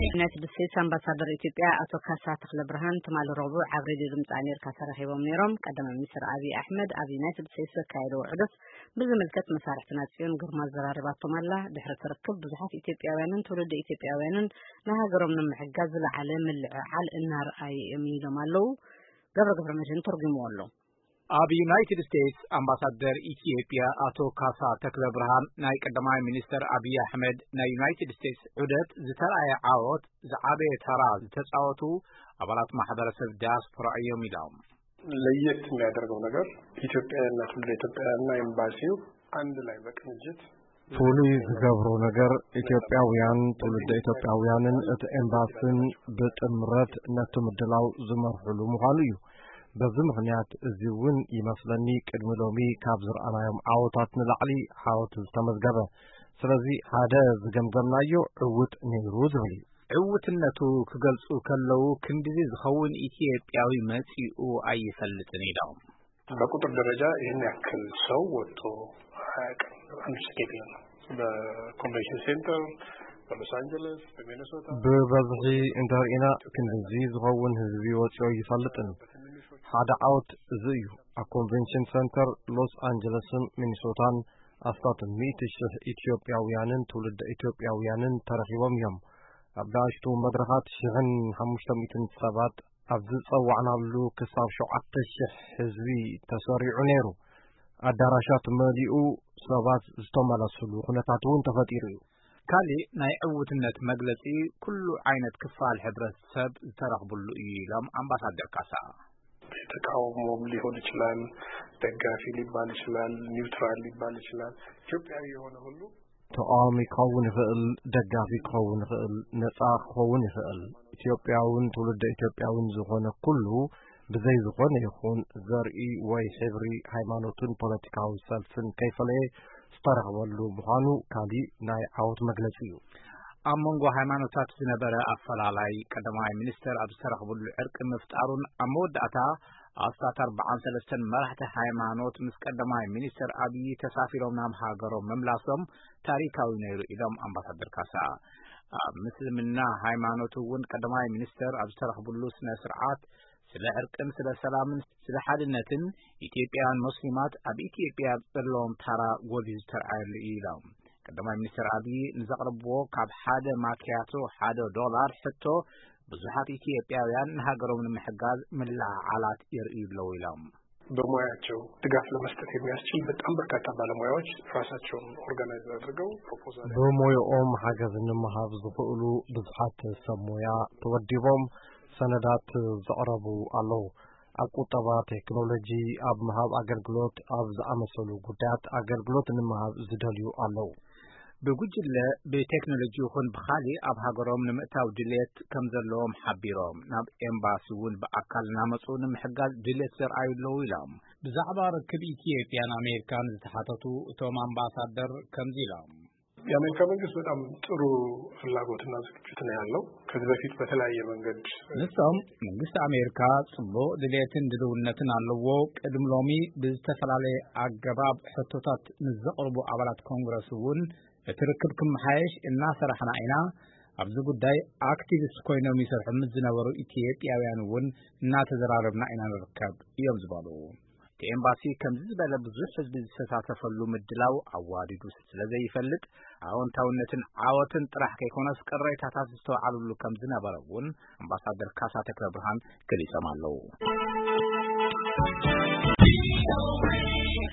ዩናይትድ ስቴትስ ኣምባሳደር ኢትዮጵያ ኣቶ ካሳ ተኽለ ብርሃን ትማሊ ረቡዕ ኣብ ሬድዮ ድምፂ ኣሜሪካ ተራኺቦም ነይሮም። ቀዳማይ ሚኒስትር ኣብይ ኣሕመድ ኣብ ዩናይትድ ስቴትስ ዘካየደዎ ዑደት ብዝምልከት መሳርሕትና ጽዮን ግርማ ዘራርባቶም ኣላ። ድሕሪ እቲ ርክብ ብዙሓት ኢትዮጵያውያንን ትውልደ ኢትዮጵያውያንን ንሃገሮም ንምሕጋዝ ዝለዓለ ምልዕዓል እናርኣዩ እዮም ኢሎም ኣለዉ። ገብረ ገብረ መድህን ተርጉምዎ ኣሎ። ኣብ ዩናይትድ ስቴትስ ኣምባሳደር ኢትዮጵያ ኣቶ ካሳ ተክለ ብርሃን፣ ናይ ቀዳማይ ሚኒስተር ኣብይ ኣሕመድ ናይ ዩናይትድ ስቴትስ ዑደት ዝተረኣየ ዓወት ዝዓበየ ተራ ዝተጻወቱ ኣባላት ማሕበረሰብ ዲያስፖራ እዮም ኢሎም። ለየት የሚያደርገው ነገር ኢትዮጵያና ትውልደ ኢትዮጵያና ኤምባሲው አንድ ላይ በቅንጅት ፍሉይ ዝገብሮ ነገር ኢትዮጵያውያን ትውልደ ኢትዮጵያውያንን እቲ ኤምባስን ብጥምረት ነቲ ምድላው ዝመርሕሉ ምዃኑ እዩ። በዚ ምኽንያት እዚ እውን ይመስለኒ ቅድሚ ሎሚ ካብ ዝረኣናዮም ዓወታት ንላዕሊ ዓወት ዝተመዝገበ። ስለዚ ሓደ ዝገምገምናዮ ዕውት ነይሩ ዝብል እዩ። ዕውትነቱ ክገልጹ ከለዉ ክንድዚ ዝኸውን ኢትዮጵያዊ መጺኡ ኣይፈልጥን ኢሎም። በቁጥር ደረጃ ይህን ያክል ሰው ወጥቶ አያውቅም። አንድ ስቴዲየም ነው። በኮንቬንሽን ሴንተር፣ በሎስ አንጀለስ፣ በሚኔሶታ ብበዝሒ እንተርኢና ክንድዚ ዝኸውን ህዝቢ ወፂኦ ይፈልጥን። ሓደ ዓወት እዚ እዩ። ኣብ ኮንቬንሽን ሰንተር ሎስ ኣንጀለስን ሚኒሶታን ኣስታት ሚእቲ ሽሕ ኢትዮጵያውያንን ትውልደ ኢትዮጵያውያንን ተረኺቦም እዮም። ኣብ ንኣሽቱ መድረኻት ሽሕን ሓሙሽተ ሚእትን ሰባት ኣብ ዝጸዋዕናሉ ክሳብ ሸውዓተ ሽሕ ህዝቢ ተሰሪዑ ነይሩ። ኣዳራሻት መሊኡ ሰባት ዝተመለስሉ ኩነታት እውን ተፈጢሩ እዩ። ካሊእ ናይ ዕውትነት መግለጺ ኩሉ ዓይነት ክፋል ሕብረተሰብ ዝተረኽብሉ እዩ ኢሎም ኣምባሳደር ካሳ። ተቃውሞም ሊሆን ይችላል፣ ደጋፊ ሊባል ይችላል፣ ኒውትራል ሊባል ይችላል። ኢትዮጵያዊ የሆነ ሁሉ ተቃዋሚ ክኸውን ይኽእል፣ ደጋፊ ክኸውን ይኽእል፣ ነጻ ክኸውን ይኽእል። ኢትዮጵያውን ትውልደ ኢትዮጵያውን ዝኾነ ኩሉ ብዘይ ዝኾነ ይኹን ዘርኢ ወይ ሕብሪ፣ ሃይማኖትን ፖለቲካዊ ሰልፍን ከይፈለየ ዝተረኽበሉ ምዃኑ ካሊእ ናይ ዓወት መግለጺ እዩ። ኣብ መንጎ ሃይማኖታት ዝነበረ ኣፈላላይ ቀዳማይ ሚኒስተር ኣብ ዝተረኽብሉ ዕርቂ ምፍጣሩን ኣብ መወዳእታ ኣስታት ኣርባዓን ሰለስተን መራሕቲ ሃይማኖት ምስ ቀዳማይ ሚኒስተር ኣብዪ ተሳፊሮም ናብ ሃገሮም ምምላሶም ታሪካዊ ነይሩ ኢሎም ኣምባሳደር ካሳ። ኣብ ምስልምና ሃይማኖት እውን ቀዳማይ ሚኒስተር ኣብ ዝተረኽብሉ ስነ ስርዓት ስለ ዕርቅን ስለ ሰላምን ስለ ሓድነትን ኢትዮጵያውያን ሞስሊማት ኣብ ኢትዮጵያ ዘለዎም ታራ ጎሊሁ ዝተርኣየሉ እዩ ኢሎም። ቀዳማይ ሚኒስተር ኣብዪ ንዘቕረብዎ ካብ ሓደ ማኪያቶ ሓደ ዶላር ሕቶ ብዙሓት ኢትዮጵያውያን ንሃገሮም ንምሕጋዝ ምልዕዓላት የርእዩ ኣለዉ ኢሎም። በሙያቸው ድጋፍ ለመስጠት የሚያስችል በጣም በርካታ ባለሙያዎች ራሳቸውን ኦርጋናይዝ አድርገው ፕሮፖዛል ብሞያኦም ሓገዝ ንምሃብ ዝኽእሉ ብዙሓት ሰብ ሞያ ተወዲቦም ሰነዳት ዘቕረቡ ኣለዉ። ኣብ ቁጠባ፣ ቴክኖሎጂ፣ ኣብ ምሃብ ኣገልግሎት፣ ኣብ ዝኣመሰሉ ጉዳያት ኣገልግሎት ንምሃብ ዝደልዩ ኣለዉ። ብጉጅለ ብቴክኖሎጂ ይኹን ብኻሊእ ኣብ ሃገሮም ንምእታው ድሌት ከም ዘለዎም ሓቢሮም፣ ናብ ኤምባሲ እውን ብኣካል እናመፁ ንምሕጋዝ ድሌት ዘርኣዩ ኣለዉ ኢሎም። ብዛዕባ ርክብ ኢትዮጵያን ኣሜሪካን ዝተሓተቱ እቶም ኣምባሳደር ከምዚ ኢሎም። የአሜሪካ መንግስት በጣም ጥሩ ፍላጎትና ዝግጅት ነው ያለው። ከዚህ በፊት በተለያየ መንገድ ንሶም መንግስቲ ኣሜሪካ ጽቡቕ ድሌትን ድልውነትን ኣለዎ። ቅድሚ ሎሚ ብዝተፈላለየ ኣገባብ ሕቶታት ምስ ዘቕርቡ ኣባላት ኮንግረስ እውን እቲ ርክብ ክመሓየሽ እናሰራሕና ኢና። ኣብዚ ጉዳይ ኣክቲቪስት ኮይኖም ይሰርሑ ምስ ዝነበሩ ኢትዮጵያውያን እውን እናተዘራረብና ኢና ንርከብ እዮም ዝበሉ። እቲ ኤምባሲ ከምዚ ዝበለ ብዙሕ ህዝቢ ዝሰታተፈሉ ምድላው ኣዋዲዱ ስለ ዘይፈልጥ ኣወንታውነትን ዓወትን ጥራሕ ከይኮነስ ቅሬታታት ዝተውዓሉሉ ከም ዝነበረ እውን ኣምባሳደር ካሳ ተክለ ብርሃን ገሊጾም ኣለዉ።